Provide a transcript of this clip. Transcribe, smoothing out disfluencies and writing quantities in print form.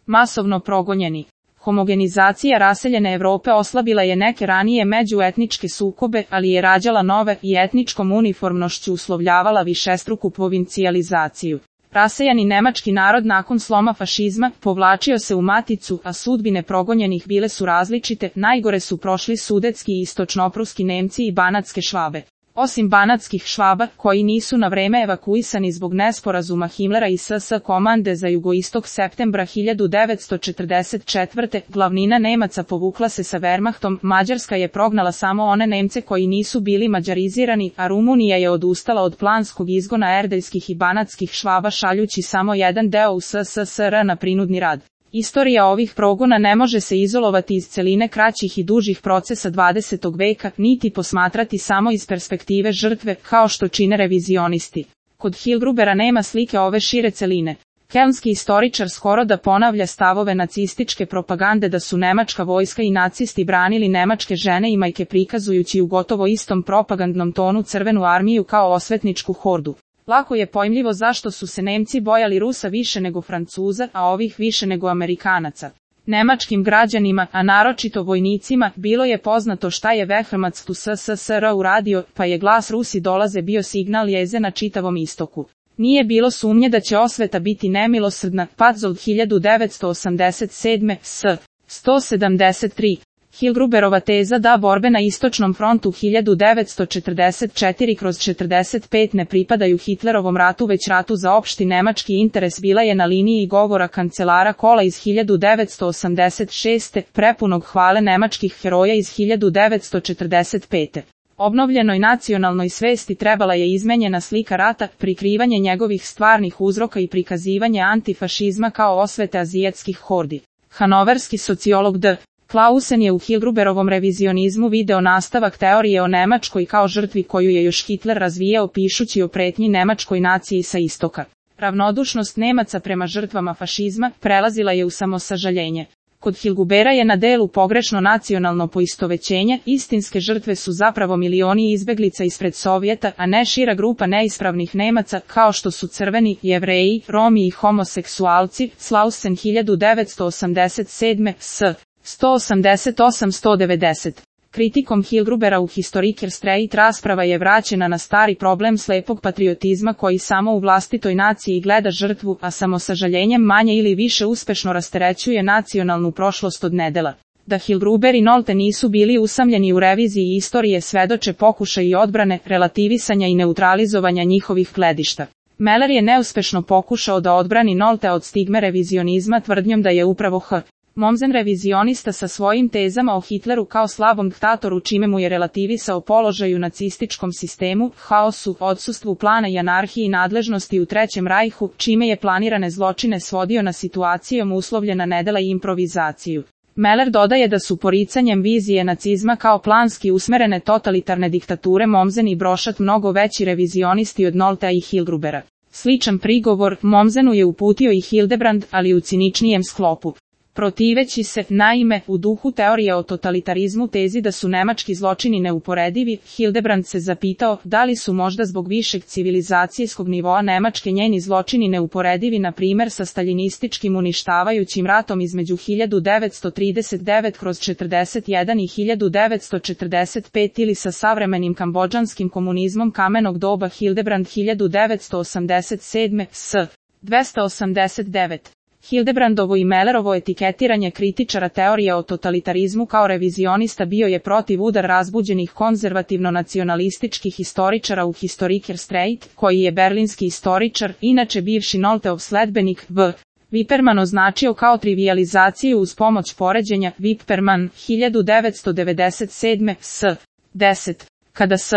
Masovno progonjeni. Homogenizacija raseljene Evrope oslabila je neke ranije međuetničke sukobe, ali je rađala nove i etničkom uniformnošću uslovljavala višestruku provincijalizaciju. Rasejani nemački narod nakon sloma fašizma povlačio se u maticu, a sudbine progonjenih bile su različite, najgore su prošli sudetski i istočnopruski Nemci i banatske Švabe. Osim banatskih Švaba, koji nisu na vreme evakuisani zbog nesporazuma Himmlera i SS komande za jugoistok septembra 1944. Glavnina Nemaca povukla se sa Wehrmachtom, Mađarska je prognala samo one Nemce koji nisu bili mađarizirani, a Rumunija je odustala od planskog izgona erdeljskih i banatskih Švaba šaljući samo jedan deo u SSSR na prinudni rad. Istorija ovih progona ne može se izolovati iz celine kraćih i dužih procesa 20. veka, niti posmatrati samo iz perspektive žrtve, kao što čine revizionisti. Kod Hillgrubera nema slike ove šire celine. Kelnski istoričar skoro da ponavlja stavove nacističke propagande da su nemačka vojska i nacisti branili nemačke žene i majke prikazujući u gotovo istom propagandnom tonu Crvenu armiju kao osvetničku hordu. Lako je pojmljivo zašto su se Nemci bojali Rusa više nego Francuza, a ovih više nego Amerikanaca. Nemačkim građanima, a naročito vojnicima, bilo je poznato šta je Wehrmacht u SSSR uradio, pa je glas Rusi dolaze bio signal jeze na čitavom istoku. Nije bilo sumnje da će osveta biti nemilosrdna, Pazov 1987. s. 173. Hillgruberova teza da borbe na istočnom frontu 1944/45 ne pripadaju Hitlerovom ratu već ratu za opšti nemački interes bila je na liniji govora kancelara Kohla iz 1986. prepunog hvale nemačkih heroja iz 1945. Obnovljenoj nacionalnoj svesti trebala je izmenjena slika rata, prikrivanje njegovih stvarnih uzroka i prikazivanje antifašizma kao osvete azijatskih hordi. Hanoverski sociolog D. Clausen je u Hillgruberovom revizionizmu video nastavak teorije o Nemačkoj kao žrtvi koju je još Hitler razvijao pišući o pretnji nemačkoj naciji sa istoka. Ravnodušnost Nemaca prema žrtvama fašizma prelazila je u samosažaljenje. Kod Hillgrubera je na delu pogrešno nacionalno poistovećenje, istinske žrtve su zapravo milioni izbeglica ispred Sovjeta, a ne šira grupa neispravnih Nemaca kao što su Crveni, Jevreji, Romi i homoseksualci, Clausen 1987. s. 188-190. Kritikom Hillgrubera u Historiker Streit rasprava je vraćena na stari problem slepog patriotizma koji samo u vlastitoj naciji gleda žrtvu, a samosažaljenjem manje ili više uspešno rasterećuje nacionalnu prošlost od nedela. Da Hillgruber i Nolte nisu bili usamljeni u reviziji istorije svedoče pokušaj i odbrane, relativisanja i neutralizovanja njihovih gledišta. Meller je neuspešno pokušao da odbrani Nolte od stigme revizionizma tvrdnjom da je upravo H. Mommsen revizionista sa svojim tezama o Hitleru kao slabom diktatoru čime mu je relativisao položaj u nacističkom sistemu, haosu, odsustvu plana i anarhiji nadležnosti u Trećem rajhu, čime je planirane zločine svodio na situacijom uslovljena nedela i improvizaciju. Meller dodaje da su poricanjem vizije nacizma kao planski usmerene totalitarne diktature Mommsen i Brošat mnogo veći revizionisti od Noltea i Hillgrubera. Sličan prigovor Mommsenu je uputio i Hildebrand, ali u ciničnijem sklopu. Protiveći se, naime, u duhu teorije o totalitarizmu tezi da su nemački zločini neuporedivi, Hildebrand se zapitao da li su možda zbog višeg civilizacijskog nivoa Nemačke njeni zločini neuporedivi na primjer sa staljinističkim uništavajućim ratom između 1939/41 i 1945 ili sa savremenim kambodžanskim komunizmom kamenog doba Hildebrand 1987. s. 289. Hildebrandovo i Mellerovo etiketiranje kritičara teorije o totalitarizmu kao revizionista bio je protiv udar razbuđenih konzervativno-nacionalističkih historičara u Historiker Streit, koji je berlinski historičar, inače bivši Nolteov sledbenik, V. Wipperman označio kao trivijalizaciju uz pomoć poređenja, Wipperman, 1997. s. 10. Kada S.